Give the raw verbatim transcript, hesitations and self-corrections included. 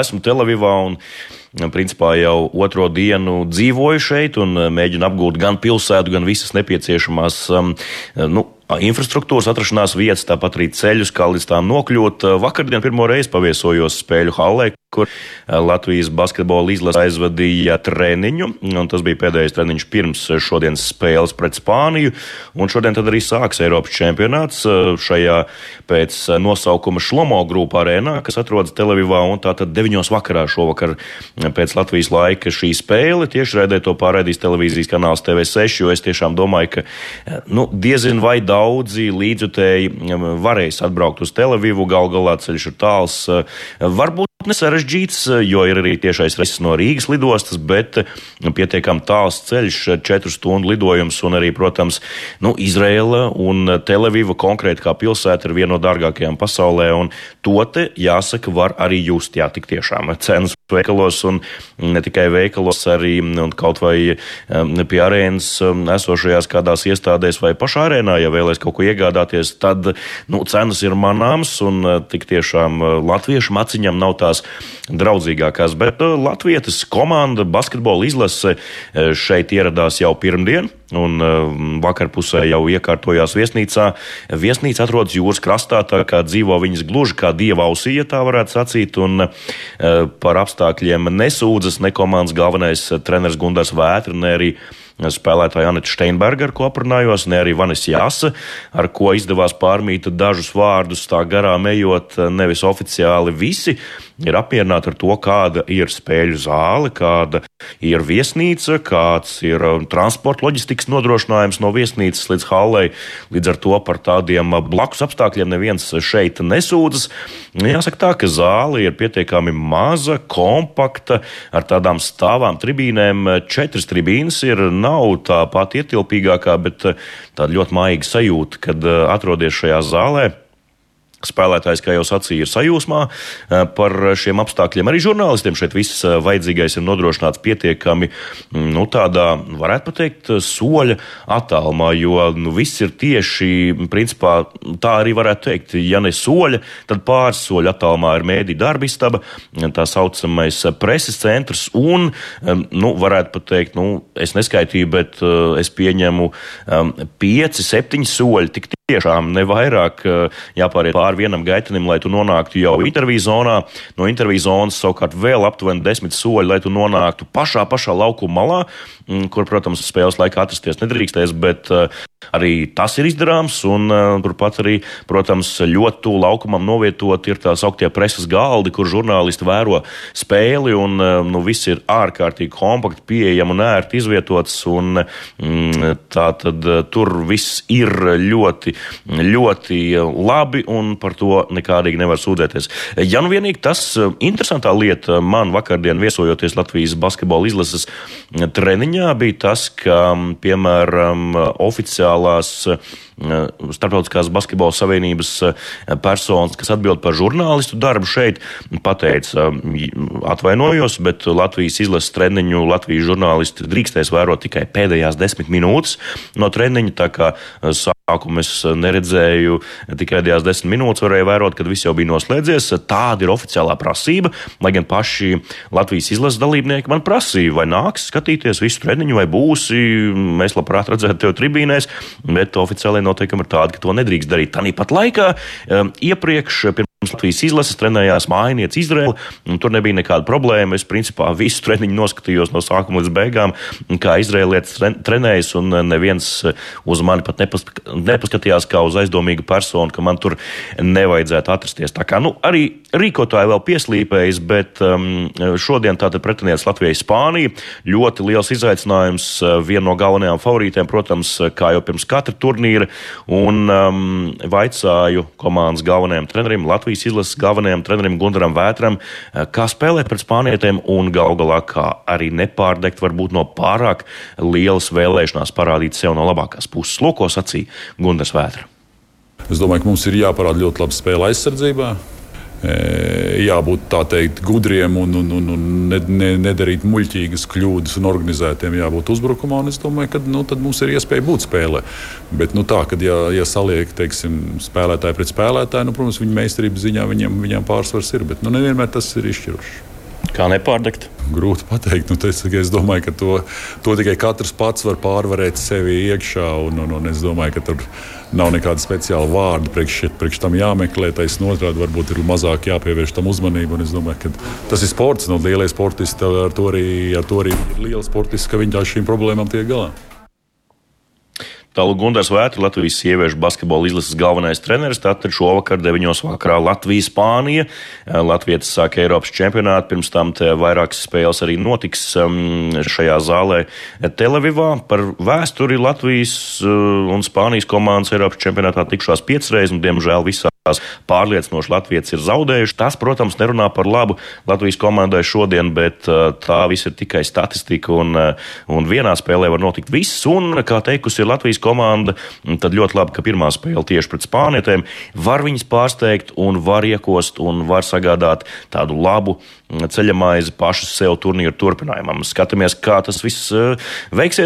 esmu Telavivā un principā jau otro dienu dzīvoju šeit un mēģinu apgūt gan pilsētu, gan visas nepieciešamās um, nu, infrastruktūras atrašanās vietas, tāpat arī ceļus, kā līdz tām nokļūt. Vakardien pirmo reizi paviesojos Spēļu hallē, kur Latvijas basketbola izlase aizvadīja treniņu, un tas bija pēdējais treniņš pirms šodienas spēles pret Spāniju, un šodien tad arī sāks Eiropas čempionāts šajā pēc nosaukuma Šlomo grupa arēnā, kas atrodas Telavivā, un tātad deviņos vakarā šovakar pēc Latvijas laika šī spēle. Tiešraidē to pārraidīs televīzijas kanāls T V seši, jo es tiešām domāju, ka nu, diezin vai daudzi līdzjutēji varēs atbraukt uz Telavivu, gal galā ceļš ir tāls, varbūt nesarežģīts, jo ir arī tiešais reiss no Rīgas lidostas, bet pietiekam tāls ceļš, četru stundu lidojums, un arī, protams, nu, Izraela un Telaviva konkrēti kā pilsēta ir viena no dārgākajām pasaulē, un to te, jāsaka, var arī just, jā, tik tiešām cenas veikalos, un ne tikai veikalos, arī un kaut vai pie arēnas esošajās kādās iestādēs vai pašā arēnā, ja vēlēs kaut ko iegādāties, tad, nu, cenas ir manāms, un tik tiešām latviešu maciņam nav tās draudzīgākās, bet latvietas komanda basketbola izlase šeit ieradās jau pirmdien, un vakarpusē jau iekārtojās viesnīcā. Viesnīca atrodas jūras krastā, tā kā dzīvo viņas gluži kā dieva ausī, ja tā varētu sacīt, un par apstākļiem nesūdzas ne komandas galvenais treneris Gundars Vētra, ne arī spēlētāja Aneta Steinberga, ar ko aprunājos, ne arī Vanis Jāsa, ar ko izdevās pārmīt dažus vārdus tā garām ejot, nevis oficiāli visi ir apmierināti ar to, kāda ir spēļu zāle, kāda ir viesnīca, kāds ir transporta loģistikas nodrošinājums no viesnīcas līdz hallei. Līdz ar to par tādiem blakus apstākļiem neviens šeit nesūdzas. Jāsaka tā, ka zāle ir pietiekami maza, kompakta, ar tādām stāvām tribīnēm. Četras tribīnes ir, nav tā pati ietilpīgākā, bet tāda ļoti maiga sajūta, kad atrodies šajā zālē. Spēlētājs, kā jau sacīja, ir sajūsmā par šiem apstākļiem. Arī žurnālistiem šeit viss vajadzīgais ir nodrošināts pietiekami, nu, tādā, varētu pateikt, soļa attālumā, jo nu, viss ir tieši, principā, tā arī varētu teikt, ja ne soļa, tad pāris soļa attālumā ir mēdī darbistaba, tā saucamais preses centrs, un, nu, varētu pateikt, nu, es neskaitīju, bet es pieņemu pieci, septiņi soļi, tik tiešām ne vairāk jāpāriet pāri vienam gaitenim, lai tu nonāktu jau interviju zonā. No interviju zonas savukārt vēl aptuveni desmit soļi, lai tu nonāktu pašā, pašā laukuma malā, kur, protams, spēles laikā atrasties nedrīkstēs, bet arī tas ir izdarāms, un turpat arī, protams, ļoti tuvu laukumam novietot ir tā sauktie preses galdi, kur žurnālisti vēro spēli, un nu, viss ir ārkārtīgi kompakti, pieejami un ērti izvietots, un tā tad tur viss ir ļoti ļoti labi, un par to nekādīgi nevar sūdzēties. Ja nu vienīgi tas interesantā lieta man vakardien viesojoties Latvijas basketbola izlases treniņā bija tas, ka, piemēram, oficiālās Starptautiskās basketbola savienības personas, kas atbild par žurnālistu darbu šeit, pateica, atvainojos, bet Latvijas izlases treniņu Latvijas žurnālisti drīkstēs vērot tikai pēdējās desmit minūtes no treniņa, tā kā sākumu es neredzēju, tikai pēdējās desmit minūtes varēju vērot, kad viss jau bija noslēdzies. Tāda ir oficiālā prasība, lai gan paši Latvijas izlases dalībnieki man prasīja, vai nāks skatīties visu treniņu, vai būsi, mēs labprāt redzētu tev tribīnēs, bet oficiālai noteikumi ir tādi, ka to nedrīkst darīt. Tāpat laikā um, iepriekš pirms Latvijas izlases trenējās mājiniece Izraela, un tur nebija nekāda problēma. Es principā visu treniņu noskatījos no sākuma līdz beigām, kā izraelietis trenējas, un neviens uz mani pat nepask- nepaskatījās kā uz aizdomīgu personu, ka man tur nevajadzētu atrasties. Tā kā, nu, arī rīkotāji vēl pieslīpējas, bet um, šodien tātad pretinieks Latvijai Spānija. Ļoti liels izaicinājums, viena no galvenajām favorītēm, protams, kā jau pirms katra turnīra, un um, vaicāju komandas galvenajam trenerim, Latvijas izlases galvenajam trenerim Gundaram Vētram, kā spēlēt pret spānietiem un gal galā kā arī nepārdegt varbūt no pārāk lielas vēlēšanās parādīt sev no labākās puses. Lūko sacīja Gundars Vētra. Es domāju, ka mums ir jāparāda ļoti laba spēle aizsardzībā. jābūt tā teikt gudriem un, un, un, un ne, ne, nedarīt muļķīgas kļūdas un organizētiem jābūt uzbrukumā. Un es domāju, ka nu, tad mums ir iespēja būt spēlē. Bet nu, tā, kad ja, ja saliek teiksim, spēlētāji pret spēlētāju, nu, protams, viņa meistarības ziņā viņam, viņam pārsvars ir, bet nu, nevienmēr tas ir izšķirošs. Kā nepārdegt? Grūti pateikt. Nu, es, es domāju, ka to, to tikai katrs pats var pārvarēt sevi iekšā. Un, un, un es domāju, ka tur nav nekāda speciāla vārda priekš, priekš tam jāmeklē. Taisn otrādi varbūt ir mazāk jāpievērš tam uzmanību. Un es domāju, ka tas ir sports. Nu, lielie sportisti ar to arī, ar to arī ir liela sportisti, ka viņi tā šīm problēmām tiek galā. Tālāk Gundars Vētra, Latvijas sieviešu basketbola izlases galvenais treneris. Tātad šovakar deviņos vakarā Latvija-Spānija. Latvietis sāk Eiropas čempionātu, pirms tam vairākas spēles arī notiks šajā zālē Telavivā. Par vēsturi Latvijas un Spānijas komandas Eiropas čempionātā tikšās piecas reizes, un diemžēl visā pārliecinoši Latvijas ir zaudējuši. Tas, protams, nerunā par labu Latvijas komandai šodien, bet tā viss ir tikai statistika, un, un vienā spēlē var notikt viss. Un, kā teikusi ir Latvijas komanda, tad ļoti labi, ka pirmā spēle tieši pret spānietēm var viņas pārsteigt un var iekost un var sagādāt tādu labu ceļamaizi pašu sev turnīru turpinājumam. Skatāmies, kā tas viss veiksies,